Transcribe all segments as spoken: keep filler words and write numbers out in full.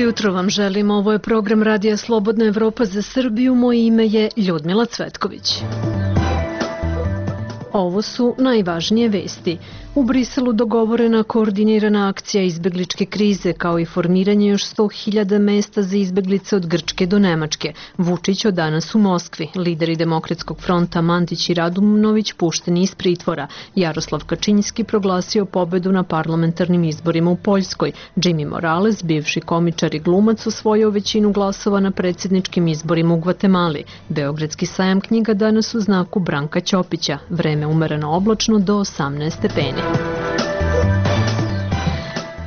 jutro vam želim, ovo je program Radija Slobodna Evropa za Srbiju, moje ime je Ljudmila Cvetković. Ovo su najvažnije vesti. U Briselu dogovorena koordinirana akcija izbegličke krize kao i formiranje još sto hiljada mesta za izbeglice od Grčke do Nemačke. Vučić od danas u Moskvi. Lideri Demokratskog fronta Mandić i Radunović pušteni iz pritvora. Jaroslav Kačinjski proglasio pobedu na parlamentarnim izborima u Poljskoj. Jimmy Morales, bivši komičar i glumac, osvojio većinu glasova na predsjedničkim izborima u Gvatemali. Beogradski sajam knjiga danas u znaku Branka Ćopića. Vreme umereno oblačno do osamnaest stepeni.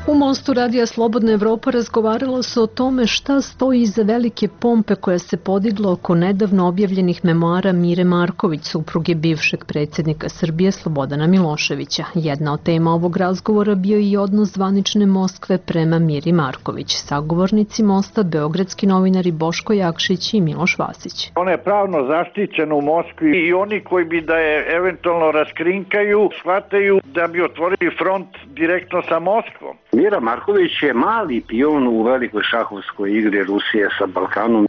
U Mostu Radija Slobodna Evropa razgovaralo se o tome šta stoji iza velike pompe koja se podigla oko nedavno objavljenih memoara Mire Marković, supruge bivšeg predsjednika Srbije Slobodana Miloševića. Jedna od tema ovog razgovora bio i odnos zvanične Moskve prema Miri Marković. Sagovornici Mosta, beogradski novinari Boško Jakšić i Miloš Vasić. Ona je pravno zaštićena u Moskvi i oni koji bi da je eventualno raskrinkaju, shvataju da bi otvorili front direktno sa Moskvom. Mira Marković je mali pion u velikoj šahovskoj igri Rusije sa Balkanom.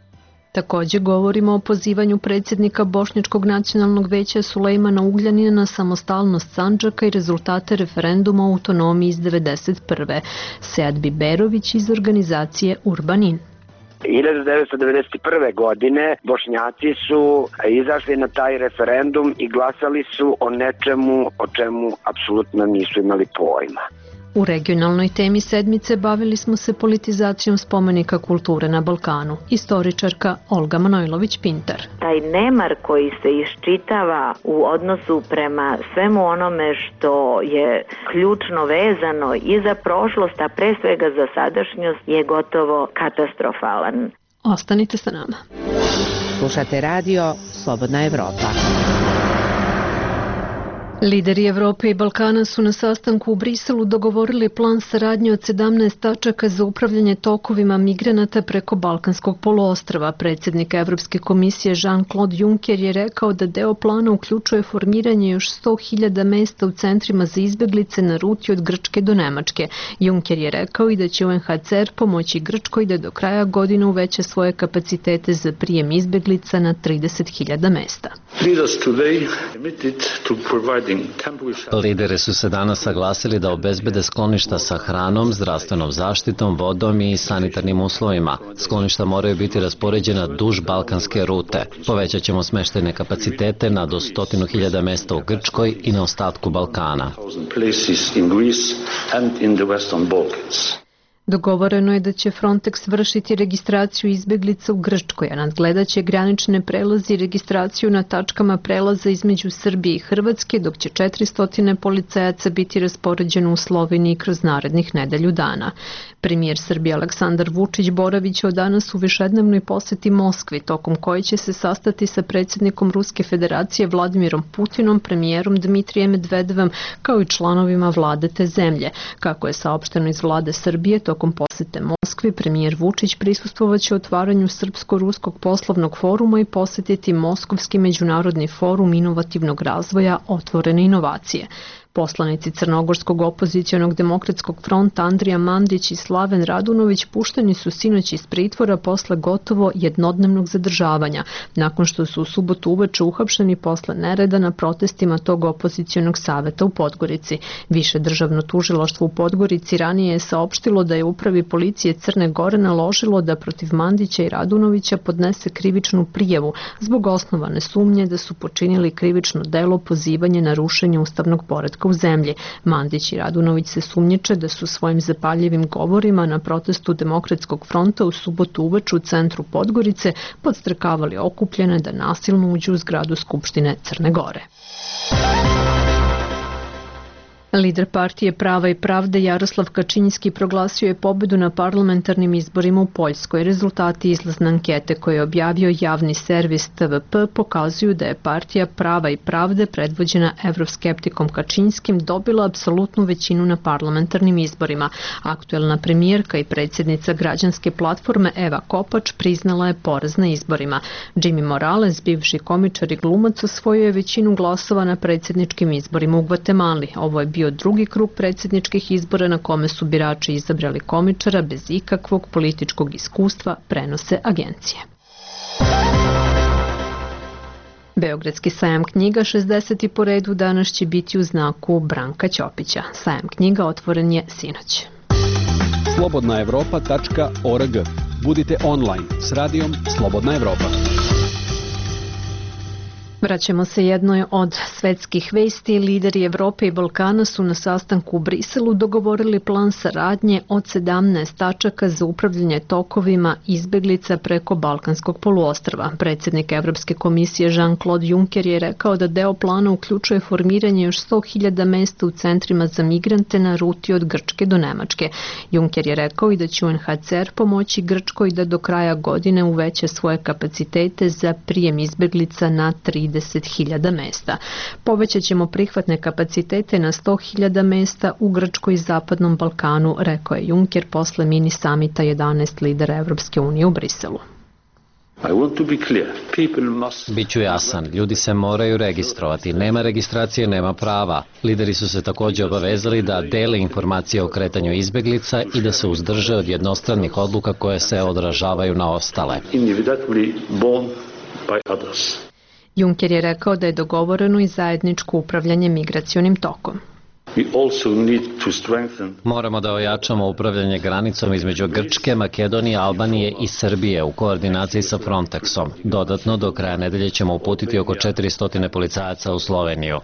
Također govorimo o pozivanju predsjednika Bošnjačkog nacionalnog veća Sulejmana Ugljanina na samostalnost Sandžaka i rezultate referenduma o autonomiji iz devedeset prve. Sead Biberović iz organizacije Urbanin. hiljadu devetsto devedeset prve. godine Bošnjaci su izašli na taj referendum i glasali su o nečemu o čemu apsolutno nisu imali pojma. U regionalnoj temi sedmice bavili smo se politizacijom spomenika kulture na Balkanu. Istoričarka Olga Manojlović-Pintar. Taj nemar koji se iščitava u odnosu prema svemu onome što je ključno vezano i za prošlost, a pre svega za sadašnjost, je gotovo katastrofalan. Ostanite sa nama. Slušate radio Slobodna Evropa. Lideri Evrope i Balkana su na sastanku u Briselu dogovorili plan saradnje od sedamnaest tačaka za upravljanje tokovima migranata preko Balkanskog poluostrva. Predsjednik Evropske komisije Jean-Claude Juncker je rekao da deo plana uključuje formiranje još sto hiljada mesta u centrima za izbeglice na ruti od Grčke do Nemačke. Juncker je rekao i da će U N H C R pomoći Grčkoj da do kraja godine uveća svoje kapacitete za prijem izbeglica na trideset hiljada mesta. Lideri su se danas saglasili da obezbede skloništa sa hranom, zdravstvenom zaštitom, vodom i sanitarnim uslovima. Skloništa moraju biti raspoređena duž balkanske rute. Povećat ćemo smeštajne kapacitete na do stotinu hiljada mesta u Grčkoj i na ostatku Balkana. Dogovoreno je da će Frontex vršiti registraciju izbeglica u Grčkoj, a nadgledat će granične prelaze i registraciju na tačkama prelaza između Srbije i Hrvatske, dok će četiristo policajaca biti raspoređeno u Sloveniji kroz narednih nedelju dana. Premijer Srbije Aleksandar Vučić boraviće od danas u višednevnoj poseti Moskvi, tokom koje će se sastati sa predsjednikom Ruske federacije Vladimirom Putinom, premijerom Dmitrijem Medvedevom, kao i članovima vlade te zemlje. Kako je saopšteno iz vlade Srbije, tokom posete Moskvi, premijer Vučić prisustvovaće otvaranju Srpsko-ruskog poslovnog foruma i posjetiti Moskovski međunarodni forum inovativnog razvoja Otvorene inovacije. Poslanici Crnogorskog opozicionog demokratskog fronta Andrija Mandić i Slaven Radunović pušteni su sinoć iz pritvora posle gotovo jednodnevnog zadržavanja, nakon što su u subotu uveče uhapšeni posle nereda na protestima tog opozicionog saveta u Podgorici. Više državno tužilaštvo u Podgorici ranije je saopštilo da je upravi policije Crne Gore naložilo da protiv Mandića i Radunovića podnese krivičnu prijavu zbog osnovane sumnje da su počinili krivično delo pozivanje na rušenje ustavnog poretka u zemlji. Mandić i Radunović se sumnjiče da su svojim zapaljivim govorima na protestu Demokratskog fronta u subotu uveče u centru Podgorice podstrekavali okupljene da nasilno uđu u zgradu Skupštine Crne Gore. Lider partije Prava i pravde Jaroslav Kačinjski proglasio je pobedu na parlamentarnim izborima u Poljskoj. Rezultati izlazne ankete koje je objavio javni servis T V P pokazuju da je partija Prava i pravde predvođena evroskeptikom Kačinjskim dobila apsolutnu većinu na parlamentarnim izborima. Aktuelna premijerka i predsjednica građanske platforme Eva Kopač priznala je poraz na izborima. Jimmy Morales, bivši komičar i glumac, osvojio je većinu glasova na predsjedničkim izborima u Gvatemali. Ovo je bio bio drugi krug predsjedničkih izbora na kome su birači izabrali komičara bez ikakvog političkog iskustva, prenose agencije. Beogradski sajam knjiga šezdeseti po redu danas će biti u znaku Branka Ćopića. Sajam knjiga otvoren je sinoć. slobodna evropa tačka org. Budite online s radijom Slobodna Evropa. Vraćamo se jednoj od svetskih vesti. Lideri Evrope i Balkana su na sastanku u Briselu dogovorili plan saradnje od sedamnaest tačaka za upravljanje tokovima izbeglica preko Balkanskog poluostrva. Predsjednik Evropske komisije Jean-Claude Juncker je rekao da deo plana uključuje formiranje još sto hiljada mesta u centrima za migrante na ruti od Grčke do Nemačke. Juncker je rekao i da će U N H C R pomoći Grčkoj da do kraja godine uveća svoje kapacitete za prijem izbeglica na trideset hiljada mesta. Povećat ćemo prihvatne kapacitete na sto hiljada mesta u Grčkoj i Zapadnom Balkanu, rekao je Juncker posle mini samita jedanaest lidera Evropske unije u Briselu. Biću jasan, ljudi se moraju registrovati, nema registracije, nema prava. Lideri su se također obavezali da dele informacije o kretanju izbeglica i da se uzdrže od jednostranih odluka koje se odražavaju na ostale. Juncker je rekao da je dogovoreno i zajedničko upravljanje migracionim tokom. Moramo da ojačamo upravljanje granicom između Grčke, Makedonije, Albanije i Srbije u koordinaciji sa Frontexom. Dodatno, do kraja nedelje ćemo uputiti oko četiristo policajaca u Sloveniju.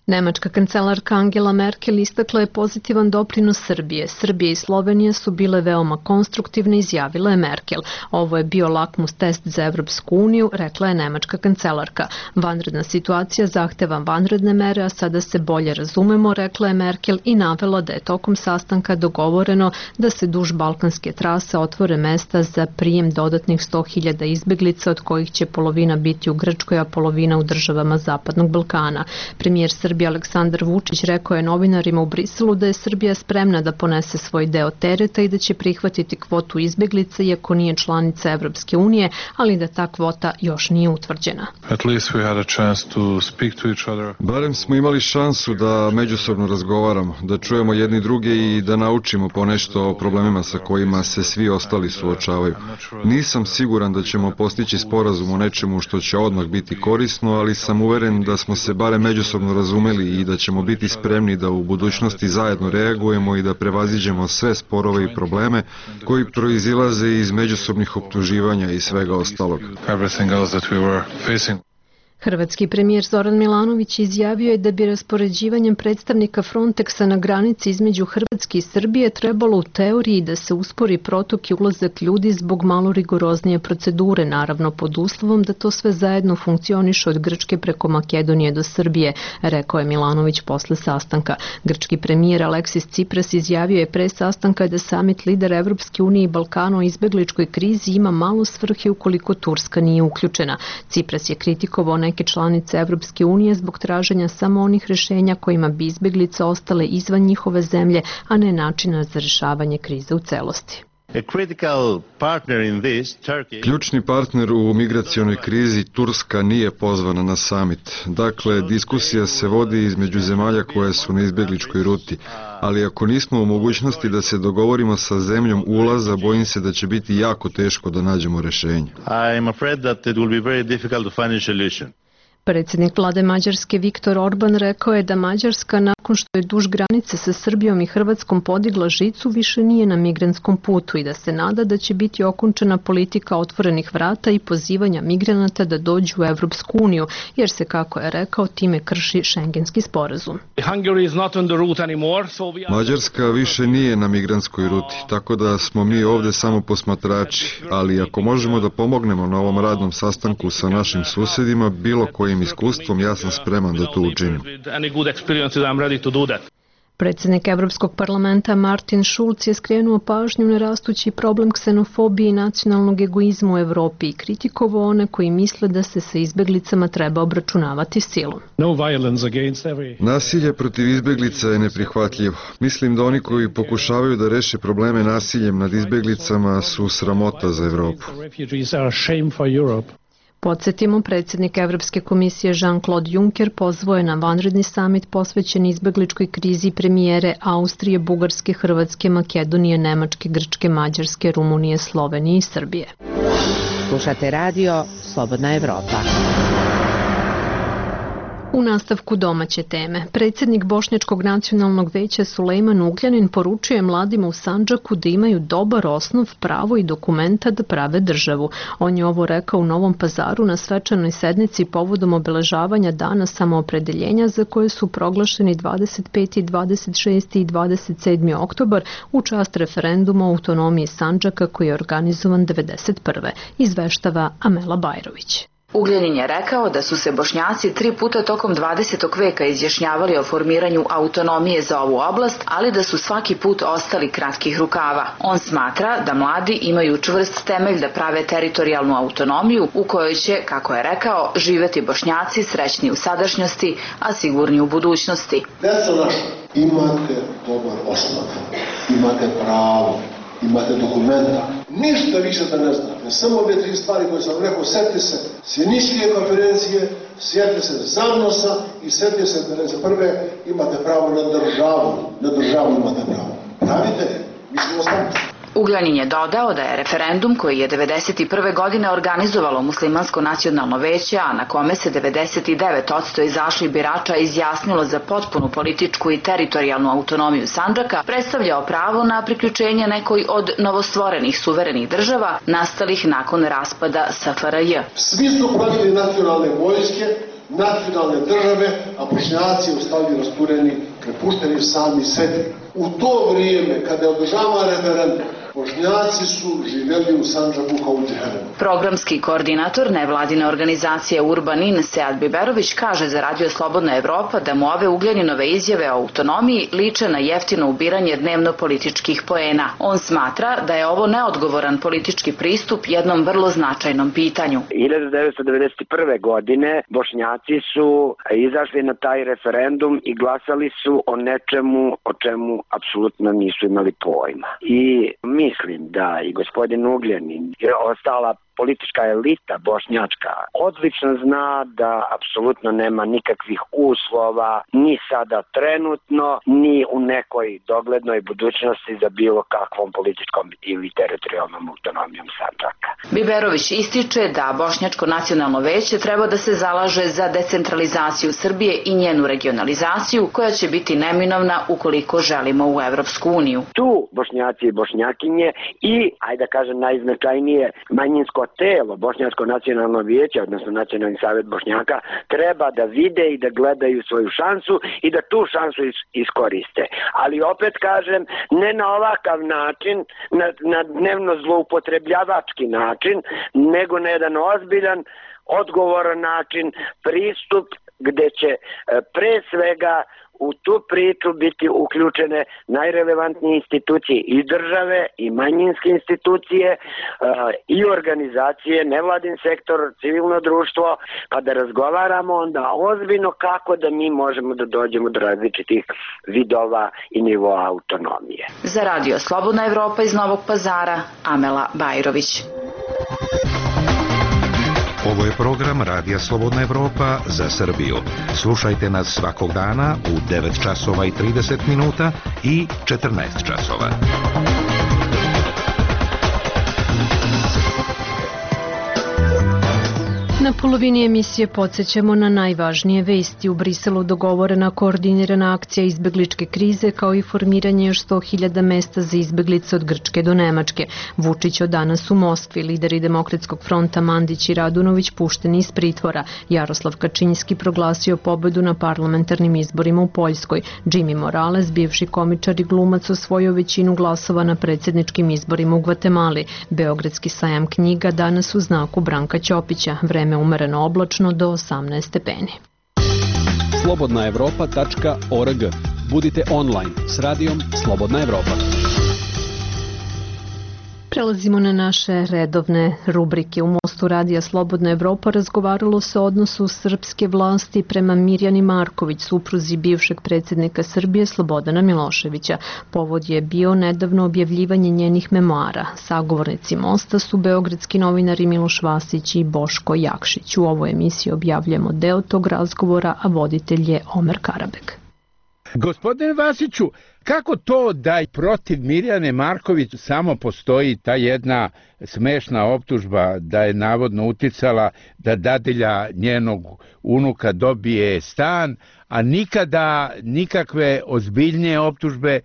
Nemačka kancelarka Angela Merkel istakla je pozitivan doprinos Srbije. Srbije i Slovenija su bile veoma konstruktivne, izjavila je Merkel. Ovo je bio lakmus test za Evropsku uniju, rekla je nemačka kancelarka. Vanredna situacija zahteva vanredne mere, a sada se bolje razumemo, rekla je Merkel i navela da je tokom sastanka dogovoreno da se duž balkanske trase otvore mesta za prijem dodatnih sto hiljada izbeglica, od kojih će polovina biti u Grčkoj, a polovina u državama Zapadnog Balkana. Premijer Srbije Aleksandar Vučić rekao je novinarima u Briselu da je Srbija spremna da ponese svoj deo tereta i da će prihvatiti kvotu izbeglica iako nije članica Evropske unije, ali da ta kvota još nije utvrđena. Barem smo imali šansu da međusobno razgovaramo, da čujemo jedni druge i da naučimo ponešto o problemima sa kojima se svi ostali suočavaju. Nisam siguran da ćemo postići sporazum o nečemu što će odmah biti korisno, ali sam uveren da smo se barem međusobno razumeli i da ćemo biti spremni da u budućnosti zajedno reagujemo i da prevaziđemo sve sporove i probleme koji proizilaze iz međusobnih optuživanja i svega ostalog. Hrvatski premijer Zoran Milanović izjavio je da bi raspoređivanjem predstavnika Frontexa na granici između Hrvatske i Srbije trebalo u teoriji da se uspori protok i ulazak ljudi zbog malo rigoroznije procedure, naravno pod uslovom da to sve zajedno funkcioniše od Grčke preko Makedonije do Srbije, rekao je Milanović posle sastanka. Grčki premijer Aleksis Tsipras izjavio je pre sastanka da samit lidera Evropske unije i Balkana o izbegličkoj krizi ima malo svrhe ukoliko Turska nije uključena. Tsipras je kritikovao neke članice Evropske unije zbog traženja samo onih rešenja kojima bi izbeglice ostale izvan njihove zemlje, a ne načina za rešavanje krize u celosti. Ključni partner u migracionoj krizi Turska nije pozvana na samit. Dakle, diskusija se vodi između zemalja koje su na izbegličkoj ruti. Ali ako nismo u mogućnosti da se dogovorimo sa zemljom ulaza, bojim se da će biti jako teško da nađemo rešenje. Predsjednik vlade Mađarske Viktor Orban rekao je da Mađarska, nakon što je duž granice sa Srbijom i Hrvatskom podigla žicu, više nije na migrantskom putu i da se nada da će biti okončana politika otvorenih vrata i pozivanja migranata da dođu u Evropsku uniju, jer se, kako je rekao, time krši šengenski sporazum. Mađarska više nije na migrantskoj ruti, tako da smo mi ovde samo posmatrači, ali ako možemo da pomognemo na ovom radnom sastanku sa našim susedima, bilo kojim iskustvom, ja sam spreman da to učinim. Predsjednik Evropskog parlamenta Martin Schulz je skrenuo pažnju na rastući problem ksenofobije i nacionalnog egoizma u Evropi i kritikovao one koji misle da se sa izbeglicama treba obračunavati silom. Nasilje protiv izbeglica je neprihvatljivo. Mislim da oni koji pokušavaju da reše probleme nasiljem nad izbeglicama su sramota za Evropu. Podsjetimo, predsjednik Evropske komisije Jean-Claude Juncker pozvao je na vanredni samit posvećen izbegličkoj krizi premijere Austrije, Bugarske, Hrvatske, Makedonije, Nemačke, Grčke, Mađarske, Rumunije, Slovenije i Srbije. Slušate radio Slobodna Evropa. U nastavku domaće teme, predsjednik Bošnjačkog nacionalnog veća Sulejman Ugljanin poručuje mladima u Sandžaku da imaju dobar osnov, pravo i dokumenta da prave državu. On je ovo rekao u Novom Pazaru na svečanoj sednici povodom obeležavanja dana samoopredeljenja za koje su proglašeni dvadeset peti, dvadeset šesti i dvadeset sedmi oktobar u čast referenduma o autonomiji Sandžaka koji je organizovan devedeset prve. Izveštava Amela Bajrović. Ugljanin je rekao da su se Bošnjaci tri puta tokom dvadesetog veka izjašnjavali o formiranju autonomije za ovu oblast, ali da su svaki put ostali kratkih rukava. On smatra da mladi imaju čvrst temelj da prave teritorijalnu autonomiju u kojoj će, kako je rekao, živeti Bošnjaci srećni u sadašnjosti, a sigurni u budućnosti. Deco naša, imate dobar osnov, imate pravo, imate dokumenta. Ništa više da ne znate. Samo ove tri stvari koje sam rekao, sjetite se Sjeničke konferencije, sjetite se Zavnosa i sjetite se devedeset prve imate pravo na državu. Na državu imate pravo. Pravite je. Mi smo ostali. Ugljanin je dodao da je referendum koji je devedeset prve godine organizovalo Muslimansko nacionalno veće, a na kome se devedeset devet posto izašli birača izjasnilo za potpunu političku i teritorijalnu autonomiju Sandžaka, predstavljao pravo na priključenje nekoj od novostvorenih suverenih država nastalih nakon raspada S F R J. Svi su pravili nacionalne vojske, nacionalne države, a Bošnjaci ostali rastureni, prepušteni sami sebi. U to vrijeme, kada je održavan referendum, Bošnjaci su živjeli u Sandžaku kao u džehennemu. Programski koordinator nevladine organizacije Urbanin Sead Biberović kaže za Radio Slobodna Evropa da mu ove Ugljaninove izjave o autonomiji liče na jeftino ubiranje dnevno političkih poena. On smatra da je ovo neodgovoran politički pristup jednom vrlo značajnom pitanju. hiljadu devetsto devedeset prve. godine Bošnjaci su izašli na taj referendum i glasali su o nečemu o čemu apsolutno nisu imali pojma. I mislim da i gospodin Ugljanin je ostala politička elita bošnjačka odlično zna da apsolutno nema nikakvih uslova ni sada trenutno, ni u nekoj doglednoj budućnosti za bilo kakvom političkom ili teritorijalnom autonomijom Sandžaka. Biberović ističe da Bošnjačko nacionalno veće treba da se zalaže za decentralizaciju Srbije i njenu regionalizaciju koja će biti neminovna ukoliko želimo u Evropsku uniju. Tu Bošnjaci i Bošnjakinje i, ajde da kažem najznačajnije, manjinsko telo, Bošnjačko nacionalno vijeće, odnosno Nacionalni savjet Bošnjaka, treba da vide i da gledaju svoju šansu i da tu šansu iskoriste. Ali opet kažem, ne na ovakav način, na, na dnevno zloupotrebljavački način, nego na jedan ozbiljan, odgovoran način, pristup gde će pre svega u tu priču biti uključene najrelevantnije institucije i države i manjinske institucije i organizacije, nevladin sektor, civilno društvo, pa da razgovaramo onda ozbiljno kako da mi možemo da dođemo do različitih vidova i nivoa autonomije. Za Radio Slobodna Evropa iz Novog Pazara, Amela Bajrović. Ovo je program Radija Slobodna Evropa za Srbiju. Slušajte nas svakog dana u devet časova i trideset minuta i četrnaest časova. Na polovini emisije podsjećamo na najvažnije vesti. U Briselu dogovorena koordinirana akcija izbegličke krize kao i formiranje još sto hiljada mesta za izbeglice od Grčke do Nemačke. Vučić od danas u Moskvi, lideri Demokratskog fronta Mandić i Radunović pušteni iz pritvora. Jaroslav Kačinjski proglasio pobedu na parlamentarnim izborima u Poljskoj. Jimmy Morales, bivši komičar i glumac, osvojio većinu glasova na predsjedničkim izborima u Gvatemali. Beogradski sajam knjiga danas u znaku Branka Ćopića. Vreme umereno oblačno do osamnaest stepeni. slobodna evropa tačka org. Budite online s radijom Slobodna Evropa. Prelazimo na naše redovne rubrike. U Mostu podcastu Radija Slobodna Evropa razgovaralo se o odnosu srpske vlasti prema Mirjani Marković, supruzi bivšeg predsjednika Srbije Slobodana Miloševića. Povod je bio nedavno objavljivanje njenih memoara. Sagovornici Mosta su beogradski novinari Miloš Vasić i Boško Jakšić. U ovoj emisiji objavljamo deo tog razgovora, a voditelj je Omer Karabek. Gospodine Vasiću, kako to da i protiv Mirjane Marković samo postoji ta jedna smešna optužba da je navodno uticala da dadilja njenog unuka dobije stan, a nikada nikakve ozbiljnije optužbe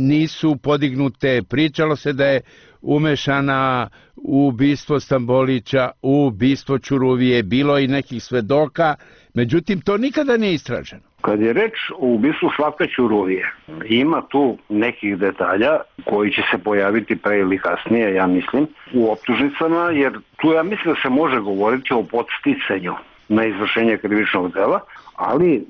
nisu podignute? Pričalo se da je umešana u ubistvo Stambolića, u ubistvo Ćuruvije, bilo i nekih svedoka, međutim to nikada nije istraženo. Kad je reč o ubistvu Slavka Ćuruvije, ima tu nekih detalja koji će se pojaviti pre ili kasnije, ja mislim, u optužnicama, jer tu ja mislim da se može govoriti o podsticanju na izvršenje krivičnog dela, ali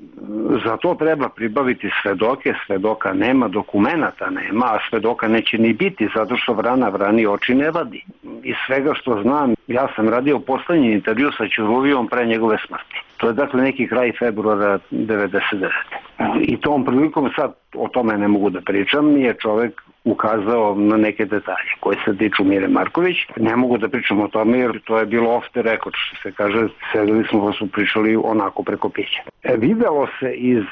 za to treba pribaviti svedoke, svedoka nema, dokumenata nema, a svedoka neće ni biti, zato što vrana vrani oči ne vadi. Iz svega što znam, ja sam radio poslednji intervju sa Ćuruvijom pre njegove smrti. To je dakle neki kraj februara devedeset devete. I tom prilikom, sad o tome ne mogu da pričam, je čovek ukazao na neke detalje koje se tiču Mire Marković. Ne mogu da pričam o tome jer to je bilo off the record, što se kaže, sedeli smo pa su pričali onako preko pića. E, videlo se iz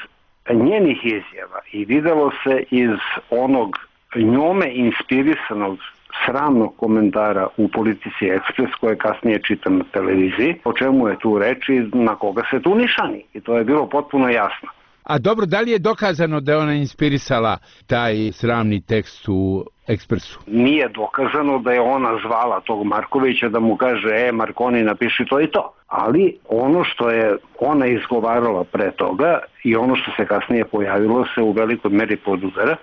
njenih izjava i videlo se iz onog njome inspirisanog sramnog komentara u Politici Ekspres koje kasnije čitam na televiziji, o čemu je tu reč i na koga se tu nišani. I to je bilo potpuno jasno. A dobro, da li je dokazano da je ona inspirisala taj sramni tekst u Ekspresu? Nije dokazano da je ona zvala tog Markovića da mu kaže, e Markoni napiši to i to. Ali ono što je ona izgovarala pre toga i ono što se kasnije pojavilo se u velikoj meri podudara,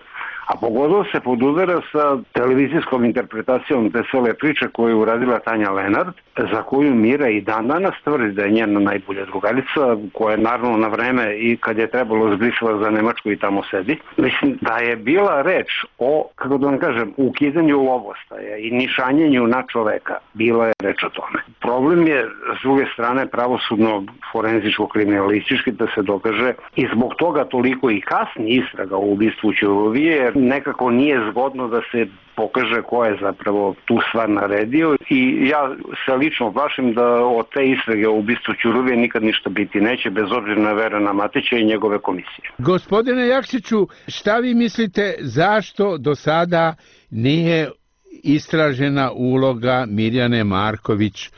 a pogotovo se podudara sa televizijskom interpretacijom te cele priče koju je uradila Tanja Lenart, za koju Mira i dan danas tvrdi da je njena najbolja drugarica, koja je naravno na vreme i kad je trebalo zbrisala za Nemačku i tamo sedi. Mislim da je bila reč o, kako da vam kažem, ukidanju lovostaja i nišanjenju na čoveka. Bila je reč o tome. Problem je, s druge strane, pravosudno forenzičko-kriminalistički da se dokaže i zbog toga toliko i kasni istraga u ubistvu Ćuruvije, jer nekako nije zgodno da se pokaže ko je zapravo tu stvar naredio i ja se lično plašim da od te istrage u ubistvu Ćuruvije nikad ništa biti neće, bez obzira na Verana Matića i njegove komisije. Gospodine Jakšiću, šta vi mislite zašto do sada nije istražena uloga Mirjane Marković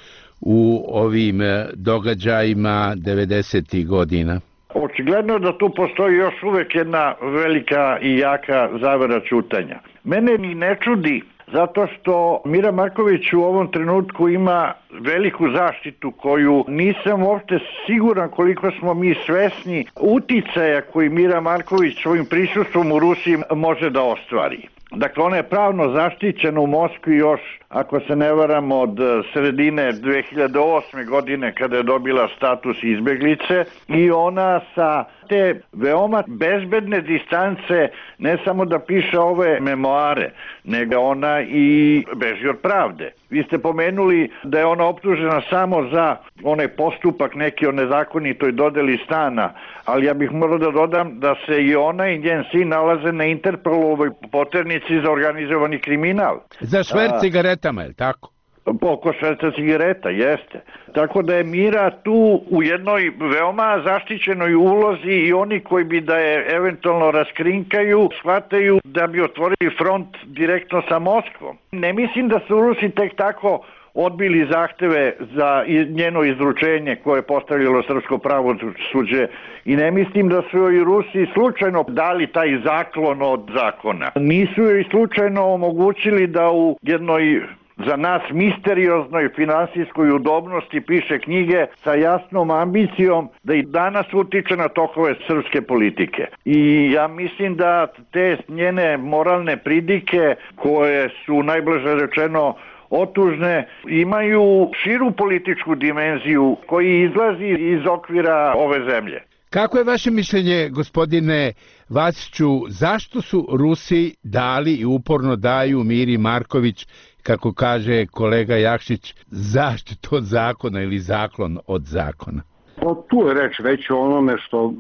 u ovim događajima devedesetih godina? Očigledno da tu postoji još uvek jedna velika i jaka zavera ćutanja. Mene ni ne čudi zato što Mira Marković u ovom trenutku ima veliku zaštitu koju nisam uopšte siguran koliko smo mi svesni uticaja koji Mira Marković svojim prisustvom u Rusiji može da ostvari. Dakle, ona je pravno zaštićena u Moskvi još, ako se ne varam, od sredine dve hiljade osme godine kada je dobila status izbeglice i ona sa te veoma bezbedne distance ne samo da piše ove memoare, nego ona i beži od pravde. Vi ste pomenuli da je ona optužena samo za onaj postupak neki o nezakonitoj dodeli stana, ali ja bih morao da dodam da se i ona i njen sin nalaze na Interpolovoj poternici za organizovani kriminal. Za šverc cigaretama, je li tako? Oko šverca cigareta, jeste. Tako da je Mira tu u jednoj veoma zaštićenoj ulozi i oni koji bi da je eventualno raskrinkaju, shvataju da bi otvorili front direktno sa Moskvom. Ne mislim da su Rusi tek tako odbili zahteve za njeno izručenje koje je postavljalo srpsko pravosuđe i ne mislim da su joj Rusi slučajno dali taj zaklon od zakona. Nisu joj slučajno omogućili da u jednoj za nas misterioznoj finansijskoj udobnosti piše knjige sa jasnom ambicijom da i danas utiče na tokove srpske politike. I ja mislim da te njene moralne pridike koje su najblaže rečeno otužne, imaju širu političku dimenziju koji izlazi iz okvira ove zemlje. Kako je vaše mišljenje, gospodine Vasiću, zašto su Rusi dali i uporno daju Miri Marković, kako kaže kolega Jakšić, zaštitu od zakona ili zaklon od zakona? O, tu je reč već o onome što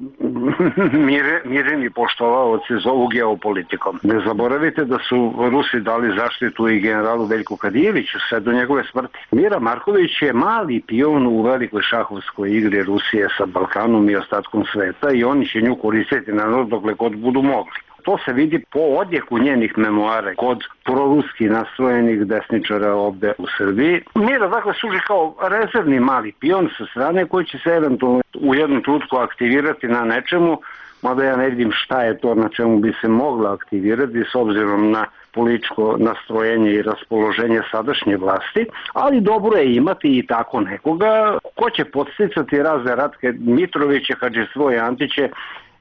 mire, mireni poštovaoci zovu geopolitikom. Ne zaboravite da su Rusi dali zaštitu i generalu Veljku Kadijeviću sve do njegove smrti. Mira Marković je mali pion u velikoj šahovskoj igri Rusije sa Balkanom i ostatkom sveta i oni će nju koristiti naravno dokle god budu mogli. To se vidi po odjeku njenih memoara kod proruski nastrojenih desničara ovde u Srbiji. Mira dakle služi kao rezervni mali pion sa strane koji će se eventualno u jednom trenutku aktivirati na nečemu, mada ja ne vidim šta je to na čemu bi se mogla aktivirati s obzirom na političko nastrojenje i raspoloženje sadašnje vlasti, ali dobro je imati i tako nekoga ko će podsticati razne Ratke Mitroviće, Hadžisvoje Antiće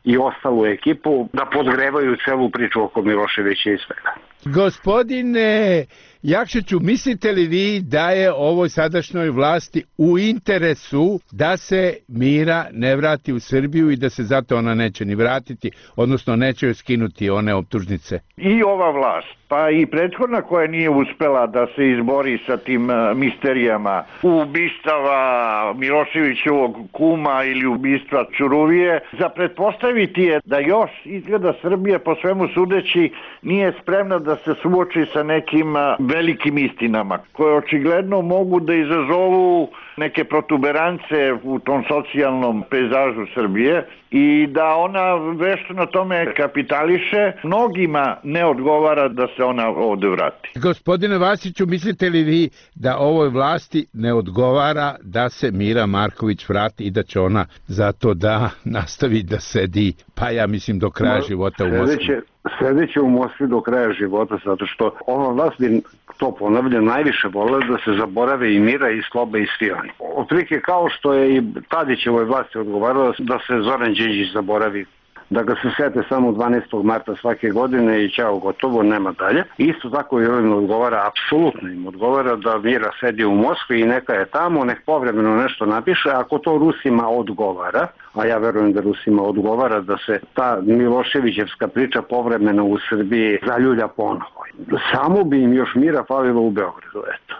i ostalu ekipu da podgrevaju celu priču oko Miloševića i svega. Gospodine Jakšiću, mislite li vi da je ovoj sadašnjoj vlasti u interesu da se Mira ne vrati u Srbiju i da se zato ona neće ni vratiti, odnosno neće joj skinuti one optužnice? I ova vlast, pa i prethodna koja nije uspela da se izbori sa tim misterijama ubistava Miloševićevog kuma ili ubistva Ćuruvije, za pretpostaviti je da još izgleda Srbija po svemu sudeći nije spremna da se suoči sa nekim velikim istinama koje očigledno mogu da izazovu neke protuberance u tom socijalnom pejzažu Srbije i da ona vešto na tome kapitališe. Mnogima ne odgovara da se ona ovde vrati. Gospodine Vasiću, mislite li vi da ovoj vlasti ne odgovara da se Mira Marković vrati i da će ona zato da nastavi da sedi, pa ja mislim do kraja no, života u Moskvi? Sedeće u Moskvi do kraja života, zato što ova vlast bi, to ponavljam, najviše volila da se zaborave i Mira i Sloba i svi oni. Otprilike kao što je i Tadićevoj vlasti odgovaralo da se Zoran Đinđić zaboravi, da ga se sete samo dvanaestog marta svake godine i ćao, gotovo, nema dalje. Isto tako i ovim odgovara, apsolutno im odgovara da Mira sedi u Moskvi i neka je tamo, nek povremeno nešto napiše, ako to Rusima odgovara, a ja verujem da Rusima odgovara da se ta Miloševićevska priča povremeno u Srbiji zaljulja ponovo. Samo bi im još Mira falilo u Beogradu, eto.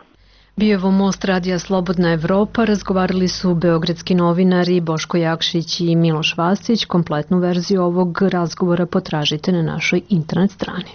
Bijevo most Radija Slobodna Evropa razgovarali su beogradski novinari Boško Jakšić i Miloš Vasić. Kompletnu verziju ovog razgovora potražite na našoj internet strani.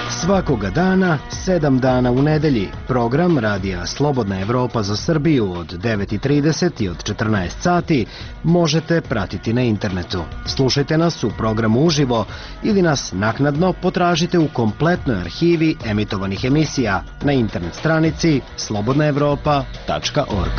Svakoga dana, sedam dana u nedelji, program Radija Slobodna Evropa za Srbiju od devet i trideset i od četrnaest sati možete pratiti na internetu. Slušajte nas u programu uživo ili nas naknadno potražite u kompletnoj arhivi emitovanih emisija na internet stranici slobodna evropa tačka org.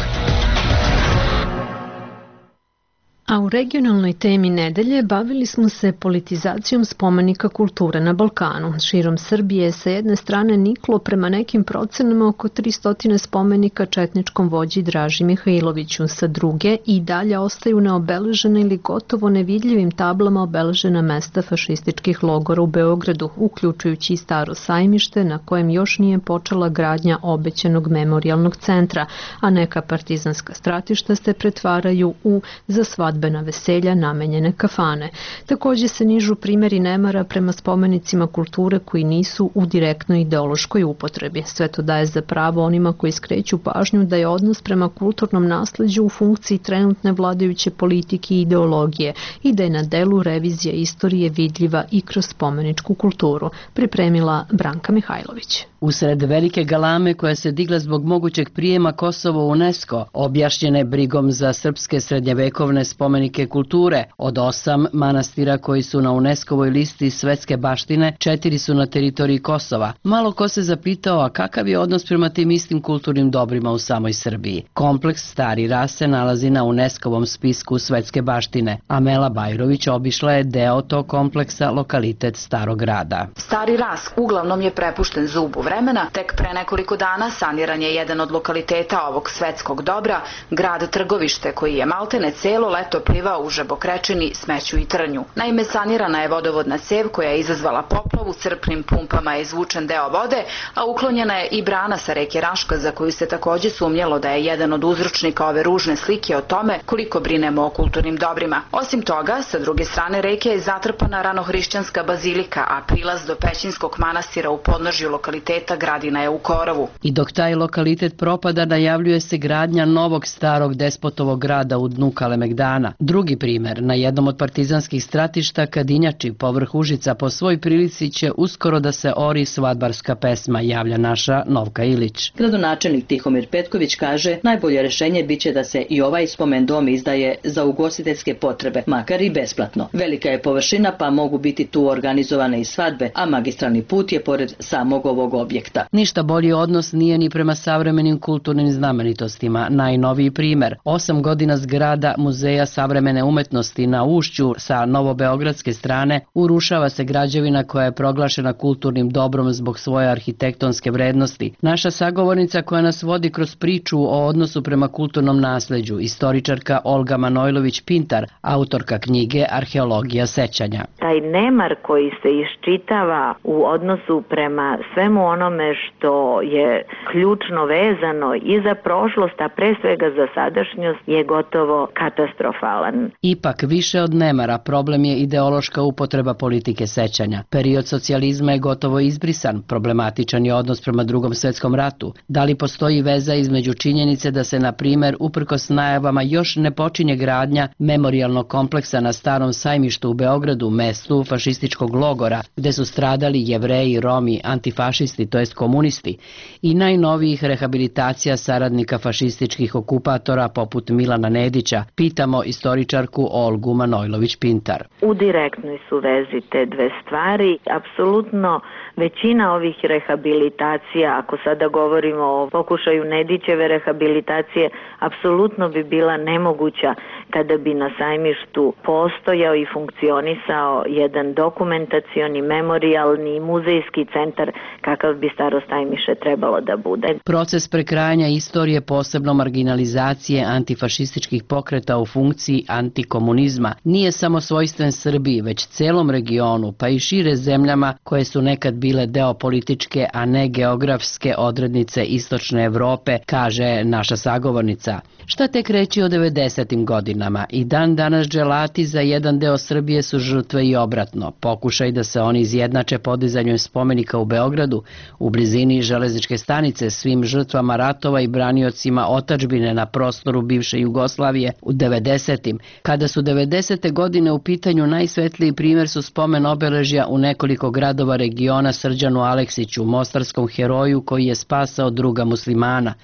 A u regionalnoj temi nedelje bavili smo se politizacijom spomenika kulture na Balkanu. Širom Srbije sa jedne strane niklo prema nekim procenama oko tristo spomenika četničkom vođi Draži Mihajloviću, sa druge i dalje ostaju neobeležene ili gotovo nevidljivim tablama obeležena mesta fašističkih logora u Beogradu, uključujući i Staro sajmište na kojem još nije počela gradnja obećanog memorijalnog centra, a neka partizanska stratišta se pretvaraju u za svadbu na veselja namenjene kafane. Takođe se nižu primjeri nemara prema spomenicima kulture koji nisu u direktnoj ideološkoj upotrebi. Sve to daje za pravo onima koji skreću pažnju da je odnos prema kulturnom nasleđu u funkciji trenutne vladajuće politike i ideologije i da je na delu revizija istorije vidljiva i kroz spomeničku kulturu, pripremila Branka Mihajlović. Usred velike galame koja se digla zbog mogućeg prijema Kosovo u UNESCO, objašnjene brigom za srpske srednjevekovne spomenike kulture, od osam manastira koji su na UNESCO-voj listi svetske baštine, četiri su na teritoriji Kosova. Malo ko se zapitao, a kakav je odnos prema tim istim kulturnim dobrima u samoj Srbiji. Kompleks Stari Ras se nalazi na UNESCO-vom spisku svetske baštine. Amela Bajrović obišla je deo tog kompleksa, lokalitet Starog Grada. Stari Ras uglavnom je prepušten zubu vremena, tek pre nekoliko dana saniran je jedan od lokaliteta ovog svetskog dobra, grad Trgovište, koji je maltene celo leto plivao u žabokrečini, smeću i trnju. Naime, sanirana je vodovodna cev koja je izazvala poplavu, crpnim pumpama je izvučen deo vode, a uklonjena je i brana sa reke Raška, za koju se takođe sumnjalo da je jedan od uzročnika ove ružne slike o tome koliko brinemo o kulturnim dobrima. Osim toga, sa druge strane reke je zatrpana ranohrišćanska bazilika, a prilaz do Pećinskog manastira u podnožju lokaliteta Gradina je u korovu. I dok taj lokalitet propada, najavljuje se gradnja novog starog despotovog grada u dnu Kalemegdana. Drugi primer, na jednom od partizanskih stratišta Kadinjači, povrh Užica, po svoj prilici će uskoro da se ori svadbarska pesma, javlja naša Novka Ilić. Gradonačelnik Tihomir Petković kaže, najbolje rešenje biće da se i ovaj spomen dom izdaje za ugostiteljske potrebe, makar i besplatno. Velika je površina, pa mogu biti tu organizovane i svadbe, a magistralni put je pored samog ovog objekta. Ništa bolji odnos nije ni prema savremenim kulturnim znamenitostima. Najnoviji primer, osam godina zgrada Muzeja savremene umetnosti na Ušću sa novobeogradske strane, urušava se građevina koja je proglašena kulturnim dobrom zbog svoje arhitektonske vrednosti. Naša sagovornica koja nas vodi kroz priču o odnosu prema kulturnom nasleđu, istoričarka Olga Manojlović-Pintar, autorka knjige Arheologija sećanja. Taj nemar koji se iščitava u odnosu prema svemu onome što je ključno vezano i za prošlost, a pre svega za sadašnjost, je gotovo katastrofalan. Ipak, više od nemara, problem je ideološka upotreba politike sećanja. Period socijalizma je gotovo izbrisan, problematičan je odnos prema Drugom svetskom ratu. Da li postoji veza između činjenice da se, na primer, uprkos najavama još ne počinje gradnja memorijalnog kompleksa na Starom sajmištu u Beogradu, mestu fašističkog logora, gde su stradali Jevreji, Romi, antifašisti, to jest komunisti, i najnovijih rehabilitacija saradnika fašističkih okupatora poput Milana Nedića, pitamo istoričarku Olgu Manojlović-Pintar. U direktnoj su vezi te dve stvari. Apsolutno većina ovih rehabilitacija, ako sada govorimo o pokušaju Nedićeve rehabilitacije, apsolutno bi bila nemoguća kada bi na sajmištu postojao i funkcionisao jedan dokumentacioni, memorijalni i muzejski centar kakav bi Staro sajmište trebalo da bude. Proces prekrajanja istorije, posebno marginalizacije antifašističkih pokreta u funkciji antikomunizma, nije samo svojstven Srbiji, već celom regionu, pa i šire zemljama koje su nekad bile deo političke, a ne geografske odrednice istočne Evrope, kaže naša sagovornica. Šta tek reći o devedesetim godinama? I dan danas dželati za jedan deo Srbije su žrtve i obratno. Pokušaj da se oni izjednače podizanjem spomenika u Beogradu, u blizini železničke stanice, svim žrtvama ratova i braniocima otadžbine na prostoru bivše Jugoslavije u devedesetim. Kada su devedesete godine u pitanju, najsvetliji primer su spomen obeležja u nekoliko gradova regiona Srđanu Aleksiću, mostarskom heroju koji je spasao druga muslimana.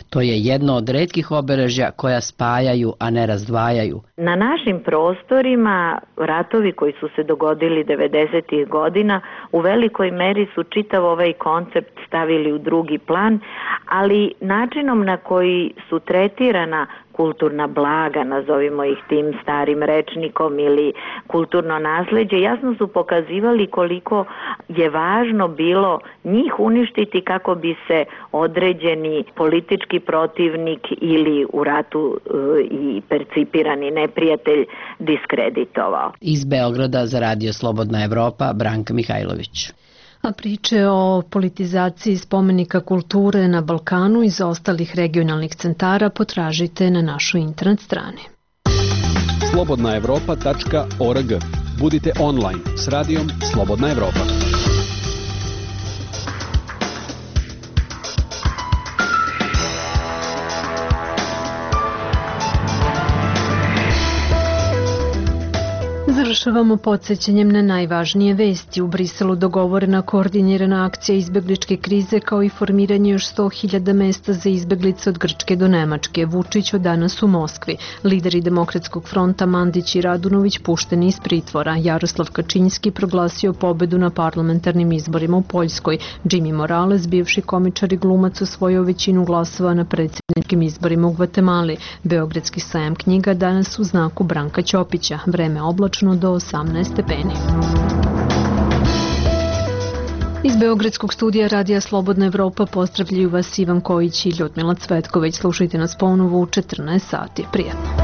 To je jedno od retkih obeležja koja spajaju, a ne razdvajaju. Na našim prostorima ratovi koji su se dogodili devedesetih godina u velikoj meri su čitav ovaj koncept stavili u drugi plan, ali načinom na koji su tretirana kulturna blaga, nazovimo ih tim starim rečnikom, ili kulturno nasleđe, jasno su pokazivali koliko je važno bilo njih uništiti kako bi se određeni politički protivnik ili u ratu i percipirani neprijatelj diskreditovao. Iz Beograda za Radio Slobodna Evropa, Branka Mihajlović. A priče o politizaciji spomenika kulture na Balkanu iz ostalih regionalnih centara potražite na našoj internet strani. slobodna evropa tačka org. Budite online s radijom Slobodna Evropa. Završavamo podsjećanjem na najvažnije vesti. U Briselu dogovorena koordinirana akcija izbegličke krize kao i formiranje još sto hiljada mesta za izbeglice od Grčke do Nemačke. Vučić od danas u Moskvi. Lideri Demokratskog fronta Mandić i Radunović pušteni iz pritvora. Jaroslav Kačinjski proglasio pobedu na parlamentarnim izborima u Poljskoj. Jimmy Morales, bivši komičar i glumac, osvojio većinu glasova na predsjedničkim izborima u Gvatemali. Beogradski sajam knjiga danas u znaku Branka Ćopića. Vreme oblačno do osamnaest stepeni. Iz Beogradskog studija Radija Slobodna Evropa pozdravljaju vas Ivan Kojić i Ljudmila Cvetković. Slušajte nas ponovo u četrnaest sati. Prijetno.